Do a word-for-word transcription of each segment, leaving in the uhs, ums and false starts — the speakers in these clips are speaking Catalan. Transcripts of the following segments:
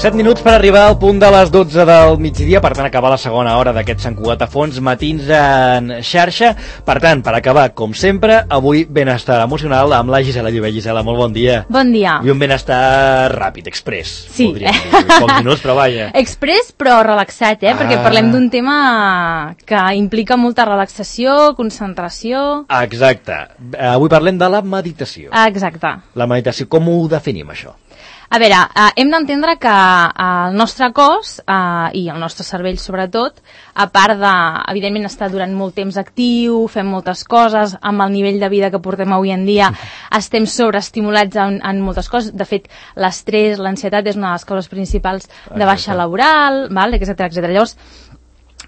set minuts per arribar al punt de les dotze del migdia, per tant acabar la segona hora d'aquest Sant Cugat a Fons, matins en xarxa. Per tant, per acabar, com sempre, avui benestar emocional amb la Gisela Llobet. Gisela, molt bon dia. Bon dia. I un benestar ràpid, express. Sí. Podríem dir, pocs minuts, però vaja. Express, però relaxat, eh? Ah. Perquè parlem d'un tema que implica molta relaxació, concentració... Exacte. Avui parlem de la meditació. Exacte. La meditació, com ho definim, això? A veure, eh, hem d'entendre que eh, el nostre cos eh, i el nostre cervell sobretot, a part de, evidentment, estar durant molt temps actiu, fem moltes coses, amb el nivell de vida que portem avui en dia, estem sobreestimulats en, en moltes coses. De fet, l'estrès, l'ansietat és una de les causes principals de baixa laboral, val? etcètera, etcètera. Llavors,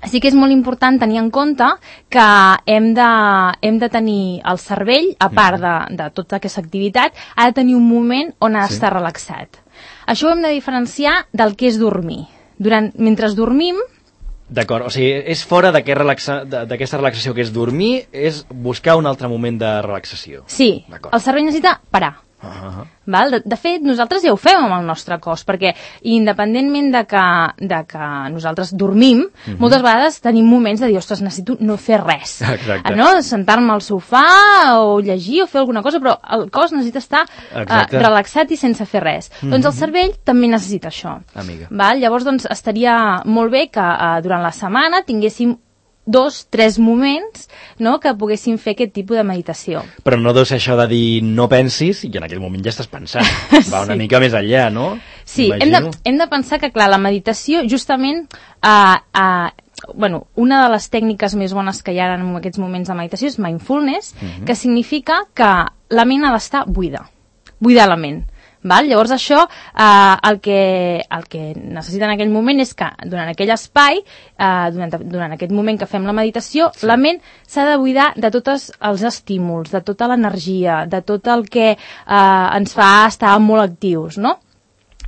sí que és molt important tenir en compte que hem de, hem de tenir el cervell, a part de, de tota aquesta activitat, ha de tenir un moment on ha d'estar sí. relaxat. Això ho hem de diferenciar del que és dormir. Durant, mentre dormim... D'acord, o sigui, és fora d'aquesta relaxa, relaxació que és dormir, és buscar un altre moment de relaxació. Sí, el cervell necessita parar. Uh -huh. Val? De, de fet, nosaltres ja ho fem amb el nostre cos, perquè independentment de que, de que nosaltres dormim, uh -huh. moltes vegades tenim moments de dir, ostres, necessito no fer res. Exacte. No? Sentar-me al sofà o llegir o fer alguna cosa, però el cos necessita estar uh, relaxat i sense fer res. Uh -huh. Doncs el cervell també necessita això. Amiga. Val? Llavors, doncs, estaria molt bé que uh, durant la setmana tinguéssim dos, tres moments, no?, que poguéssim fer aquest tipus de meditació. Però no deu ser això de dir no pensis i en aquell moment ja estàs pensant. Va una sí. mica més enllà, no? Sí, hem de, hem de pensar que, clar, la meditació justament... Uh, uh, bueno, una de les tècniques més bones que hi ha en aquests moments de meditació és mindfulness, uh-huh. que significa que la ment ha d'estar buida. Buidar la ment. Val? Llavors això, eh, el, que, el que necessita en aquell moment és que durant aquell espai, eh, durant, durant aquest moment que fem la meditació, sí. la ment s'ha de buidar de tots els estímuls, de tota l'energia, de tot el que eh, ens fa estar molt actius, no?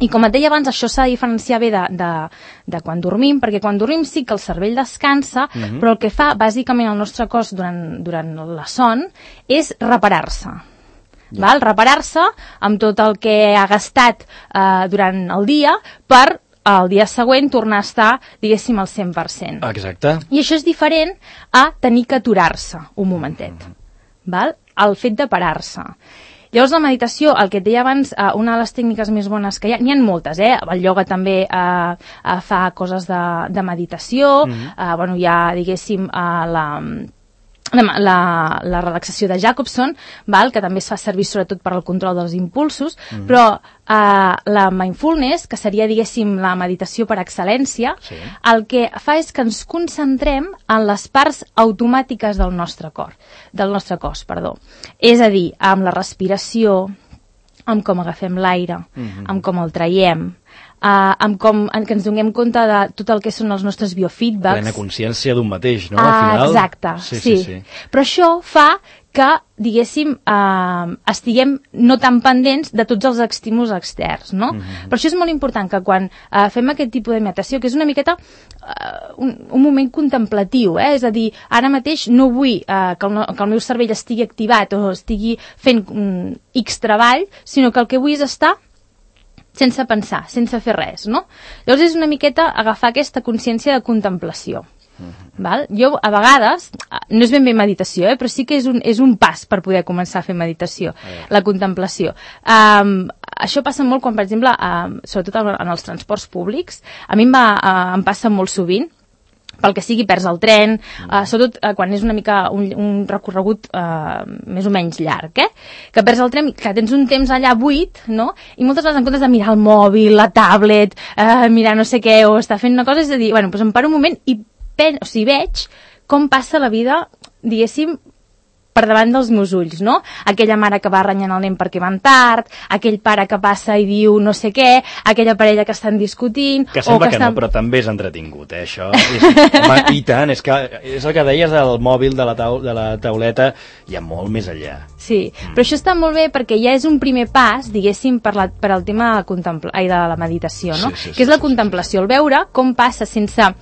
I com et deia abans, això s'ha de diferenciar bé de, de, de quan dormim, perquè quan dormim sí que el cervell descansa, uh-huh. però el que fa bàsicament el nostre cos durant, durant la son és reparar-se. Val? Reparar-se amb tot el que ha gastat eh, durant el dia per el dia següent tornar a estar, diguéssim, al cent per cent. Exacte. I això és diferent a tenir que aturar-se un momentet. Mm. Val? El fet de parar-se. Llavors, la meditació, el que et deia abans, eh, una de les tècniques més bones que hi ha, n'hi ha moltes, eh? El ioga també eh, eh, fa coses de, de meditació, mm. eh, bueno, hi ha, diguéssim, eh, la... La, la, la relaxació de Jacobson, val? Que també es fa servir sobretot per al control dels impulsos, mm. però eh, la mindfulness, que seria, diguéssim, la meditació per excel·lència, sí. el que fa és que ens concentrem en les parts automàtiques del nostre cor, del nostre cos, perdó. És a dir, amb la respiració, amb com agafem l'aire, mm-hmm. amb com el traiem, Uh, amb com en, que ens donem compte de tot el que són els nostres biofeedbacks. Plena consciència d'un mateix, no? Uh, Al final. Exacte, sí, sí. sí, sí. Però això fa que, diguéssim, uh, estiguem no tan pendents de tots els estímuls externs, no? Mm-hmm. Per això és molt important que quan uh, fem aquest tipus de meditació, que és una miqueta uh, un, un moment contemplatiu, eh? És a dir, ara mateix no vull uh, que, el no, que el meu cervell estigui activat o estigui fent um, X treball, sinó que el que vull és estar sense pensar, sense fer res, no? Llavors és una miqueta agafar aquesta consciència de contemplació. Uh-huh. Val? Jo, a vegades, no és ben bé meditació, eh, però sí que és un, és un pas per poder començar a fer meditació, uh-huh. la contemplació. Um, això passa molt quan, per exemple, um, sobretot en els transports públics, a mi em, va, uh, em passa molt sovint, pel que sigui, perds el tren, uh, sobretot uh, quan és una mica un, un recorregut uh, més o menys llarg, eh? Que perds el tren, que tens un temps allà buit, no? I moltes vegades en comptes de mirar el mòbil, la tablet, uh, mirar no sé què, o estar fent una cosa, és a dir, bueno, doncs em paro un moment i pen, o sigui, veig com passa la vida, diguéssim, per davant dels meus ulls, no? Aquella mare que va renyant el nen perquè van tard, aquell pare que passa i diu no sé què, aquella parella que estan discutint... Que sembla o que, que estan... no, però també és entretingut, eh, això. És, home, i tant, és, que, és el que deies del mòbil, de la, tau, de la tauleta, hi ha molt més enllà. Sí, mm. però això està molt bé perquè ja és un primer pas, diguéssim, per, la, per al tema de la, contempla... Ai, de la meditació, no? Sí, sí, sí, que és la sí, contemplació, sí, sí. El veure com passa sense...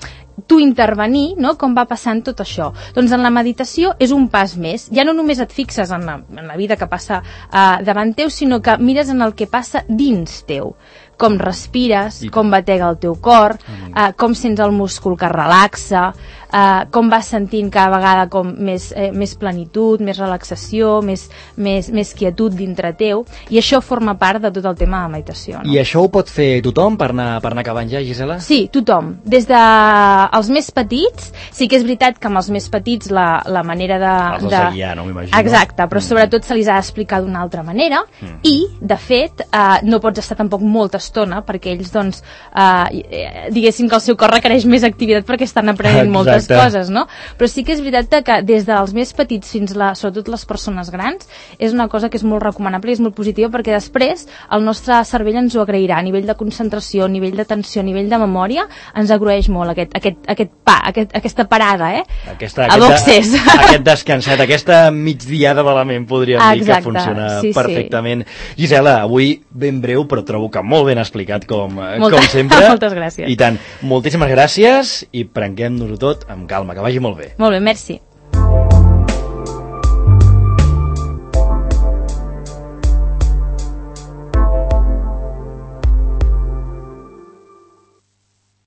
tu intervenir, no?, com va passant tot això. Doncs en la meditació és un pas més. Ja no només et fixes en la, en la vida que passa uh, davant teu, sinó que mires en el que passa dins teu. com respires, com batega el teu cor, uh, com sents el múscul que relaxa, uh, com vas sentint cada vegada com més, eh, més plenitud, més relaxació, més, més, més quietud dintre teu, i això forma part de tot el tema de meditació. No? I això ho pot fer tothom per anar, per anar acabant ja, Gisela? Sí, tothom. Des dels més petits, sí que és veritat que amb els més petits la, la manera de... Els has de guiar, no m'imagino. Exacte, però mm. sobretot se li ha d'explicar d'una altra manera mm. i, de fet, eh, no pots estar tampoc molta estona perquè ells, doncs, eh, diguéssim que el seu cor requereix més activitat perquè estan aprenent Exacte. moltes coses, no? Però sí que és veritat que des dels més petits fins a, sobretot les persones grans, és una cosa que és molt recomanable i és molt positiva perquè després el nostre cervell ens ho agrairà a nivell de concentració, a nivell d'atenció, a nivell de memòria, ens agraeix molt aquest, aquest, aquest pa, aquest, aquesta parada, eh? Aquesta, a boxes. Aquest descanset, aquesta migdiada de la ment, podríem Exacte, dir que funciona sí, perfectament. Sí. Gisela, avui ben breu, però trobo que molt ben explicat, com, Molta, com sempre. Moltes gràcies. I tant, moltíssimes gràcies i prenguem-nos-ho tot amb calma, que vagi molt bé. Molt bé, merci.